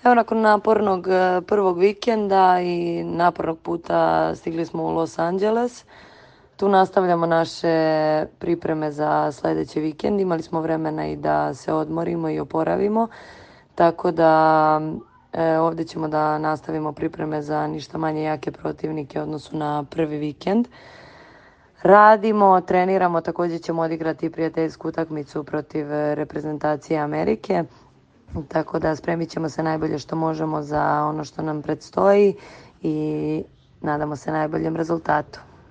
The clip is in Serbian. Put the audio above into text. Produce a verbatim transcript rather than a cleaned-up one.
Evo, nakon napornog e, prvog vikenda i napornog puta stigli smo u Los Angeles. Tu nastavljamo naše pripreme za sljedeći vikend. Imali smo vremena i da se odmorimo i oporavimo. Tako da e, ovdje ćemo da nastavimo pripreme za ništa manje jake protivnike u odnosu na prvi vikend. Radimo, treniramo, također ćemo odigrati prijateljsku utakmicu protiv reprezentacije Amerike. Tako da spremit ćemo se najbolje što možemo za ono što nam predstoji i nadamo se najboljem rezultatu.